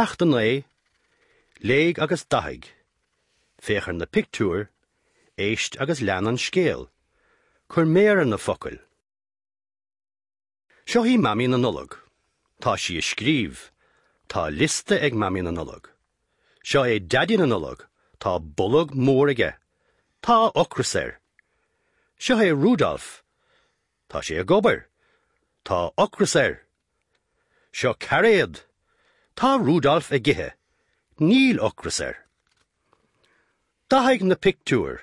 Ceacht 9, Léigh agus Dathaigh. Féach ar na pictiúir, éist agus lean an scéal. Cuir méar ar na focail. Seo í Mamaí na Nollag. Tá sí ag scríobh. Tá liosta ag Mamaí na Nollag. Seo é Daidí na Nollag. Tá bolg mór aige. Tá ocras air. Seo é Rudolf. Tá sé ag obair. Tá ocras air. Seo cairéad. Tá Rudolf ag ithe. Níl ocras air. Dathaigh na pictiúir.